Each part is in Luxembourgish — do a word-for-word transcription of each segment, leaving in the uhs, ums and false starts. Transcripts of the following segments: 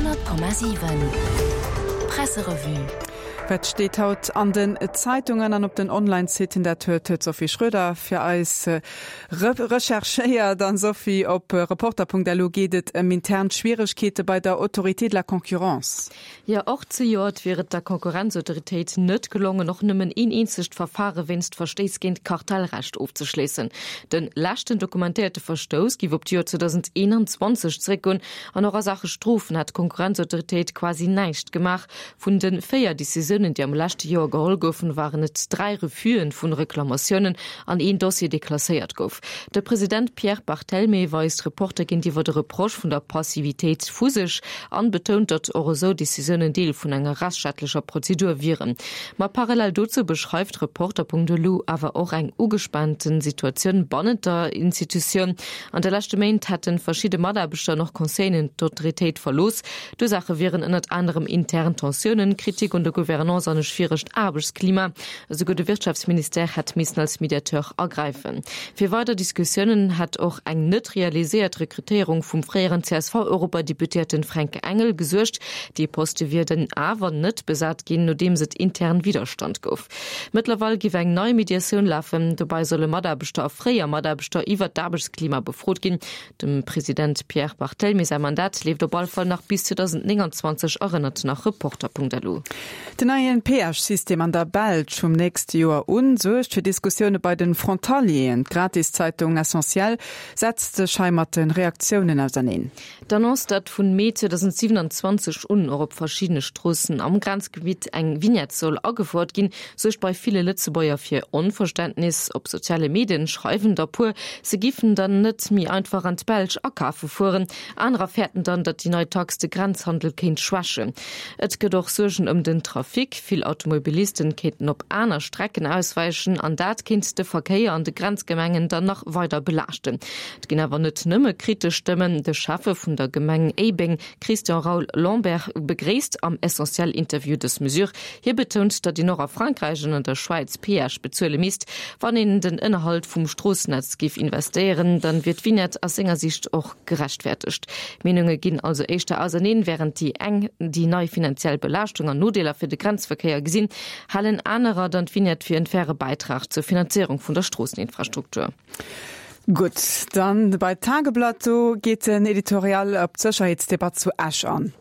Honnert Komma siwen Presserevue. Wat steet haut an den Zeitungen an op den Online-Siten? Dat huet d'Sophie Schröder fir eis recherchéiert. An Sophie, op Reporter.lu geet et ëm intern Schwieregkeete bei der Autorité de la concurrence. Jo, och zejoert wier et der Konkurrenzautoritéit net gelongen, och nëmmen een eenzegt Verfare wéinst Verstéiss géint Kartellrecht ofzeschléissen. De leschten dokumentéierte Verstouss géif op d'Joer zweedausendeenanzwanzeg zeréckgoen an och a Saache Strofen hätt d'Konkurrenzautoritéit quasi näischt gemaach. Vun de véier Decisiounen, déi am leschte Joer geholl goufen, waren et dräi Refusë vu Reklamatiounen an een Dossier, dee klasséiert gouf. De President Pierre Barthelmé weist Reporter géintiwwer de Reproche vun der Passivitéit vu sech an betount, datt och esou Decisiounen Deel vun enger rechtsstaatlecher Prozedur wieren. Ma parallel dozou beschreift Reporter.lu awer och eng ugespaante Situatioun bannent der Institutioun. An de leschte Méint hätte verschidde Mataarbechter an och Conseilleren d'Autoritéit verlooss. D'Ursaache wieren ënnert anerem intern Tensiounen, Kritik un der Gouvernance an e schwieregt Aarbechtsklima. Esouguer de Wirtschaftsministère hätt missen als Mediateur agräifen. Fir weider Diskussiounen hätt och eng net realiséiert Rekrutéierung vum fréieren C S V-Europadeputéierten Fränk Engel gesuergt. Dee Poste wier dann awer net besat ginn, nodeems et intern Widderstand gouf. Mëttlerweil géif eng nei Mediatioun lafen. Dobäi solle Mataarbechter a fréier Mataarbechter iwwer d'Aarbechtsklima befrot ginn. Dem President Pierre Barthelmé säi Mandat leeft op all Fall nach bis zweedausendnénganzwanzeg, erënnert nach Reporter.lu. Den neien Péage-System an der Belsch vum nächste Joer un suergt fir Diskussioune bei den Frontalieren. D'Gratiszeitung Essentiel setzt sech hei mat de Reaktiounen auserneen. D'Annonce, datt vun Mee zweedausendsiwenanzwanzeg un och op verschiddene Stroossen am Grenzgebitt eng Vignette soll agefouert ginn, suergt bei ville Lëtzebuerger fir Onverständnis. Op soziale Medien schreiwen der puer, se giffen dann net méi einfach an d'Belsch akafe fueren. Anerer fäerten dann, datt déi nei Tax de Grenzhandel kéint schwächen. Et gëtt och Suergen ëm den Trafic, vill Automobilisten kéinten op aner Strecken auswäichen an dat kéint de Verkéier an de Grenzgemengen dann nach weider belaaschten. Et ginn awer net nëmme kritesch Stëmmen. De Schäffe vun der Gemeng Éibeng, Christian Raoul Lambert, begréisst am Essentiel-Interview dës Mesure. Hie betount, datt een och a Frankräich an an der Schwäiz Péage bezuele misst. Wann een den Ënnerhalt vum Stroossennetz géif investéieren, dann wier d'Vignette aus senger Sicht och gerechtfertegt. D'Meenunge ginn also éischter auserneen, Wärend déi eng déi nei finanziell Belaaschtung an Nodeeler fir de Grenzverkéier gesinn, halen anerer dann d'Vignette fir en faire Bäitrag zur Finanzéierung vun der Stroosseninfrastruktur. Gutt, dann bei Tageblatt, do geet den Editorial op d'Sécherheetsdebatt zu Esch an.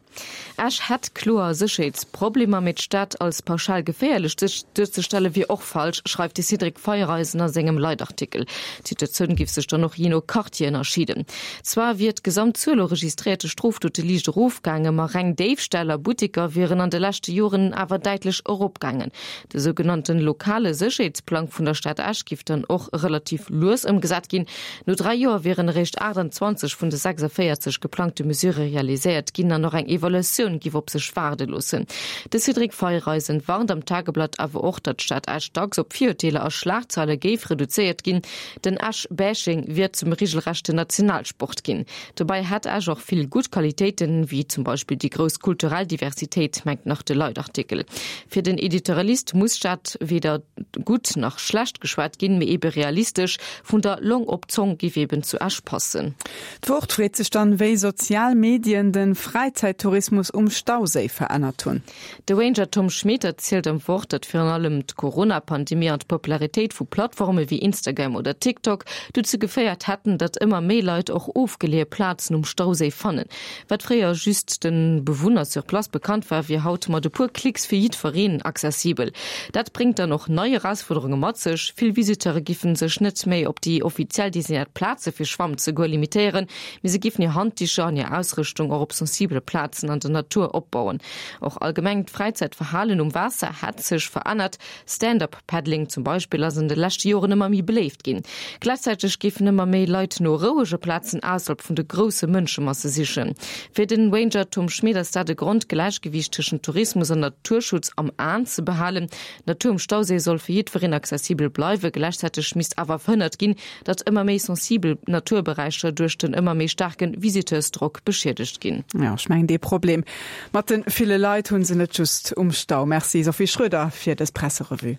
Esch hätt kloer Sécherheetsproblemer, mee d'Stad als pauschal geféierlech duerzestelle wier och falsch, schreift de Cédric Feiereisen a sengem Leitartikel. D'Situatioun géif sech dann och jee no Quartier ënnerscheeden. Zwar wier d'Gesamtzuel u registréierte Strofdote liicht erofgaangen, ma reng Déifställ a Butteker wieren an de leschte Joren awer däitlech eropgaangen. De sougenannte lokale Sécherheetsplang vun der Stad Esch géif dann och relativ lues ëmgesat ginn. No dräi Joer wieren eréischt aachtanzwanzeg vun de sechsundvéierzeg geplangte Mesurë realiséiert ginn an och eng Evaluatioun giff op sech waarde loossen. De Cédric Feiereisen warnt am Tageblatt awer och, datt d'Stad Esch dacks op Virurteeler a Schlagzeile géif reduzéiert ginn. Den Esch-Bashing wier zum regelrechten Nationalsport ginn. Dobäi hätt Esch och vill gutt Qualitéiten, wéi zum Beispill déi grouss kulturell Diversitéit, mengt nach de Leitartikel. Fir den Editorialist muss d'Stad weder gutt nach schlecht geschwat ginn, mee ebe realistesch. Vun der Long op d'Zong giff eben zu Esch passen. D'Wort freet sech dann, wéi sozial Medien de Fräizäittourismus um Stauséi verännert hunn. De Ranger Tom Schmit erzielt am Wort, datt virun allem d'Corona-Pandemie an d'Popularitéit vu Plattforme wéi Instagram oder TikTok dozou geféiert hätten, datt ëmmer méi Leit och ofgeleeë Plazen um Stauséi fannen. Wat fréier just de Bewunner sur place bekannt war, wier haut mat e puer Klicks fir jiddwereen accessibel. Dat bréngt dann och nei Erausfuerderunge mat sech, Vill Visiteure giffen sech net méi op déi offiziell designéiert Plaze fir schwammen ze goe limitéieren, mee se giffen hir Handdicher an hir Ausrëschtung och op sensibele Plazen an der Natur opbauen. Och allgemeng d'Fräizäitverhalen um Waasser hätt sech verännert, Stand-up-Paddling zum Beispill ass an de leschte Joren ëmmer méi beléift ginn. Gläichzäiteg géifen ëmmer méi Leit no rouege Plazen ausserhalb vun de grousse Mënschemasse sichen. Fir den Ranger Tom Schmit ass dat e Grond, d'Gläichgewiicht tëschent Tourismus an Naturschutz am Aen ze behalen. D'Natur um Stauséi soll fir jiddwereen accessibel bleiwen, gläichzäiteg misst awer verhënnert ginn, datt ëmmer méi sensibel Naturberäicher duerch den ëmmer méi staarke Visiteursdrock beschiedegt ginn. Jo, ech mengen dee Problem mat de ville Leit hu se net just um Stau. Merci Sophie Schröder fir dës Presserevue.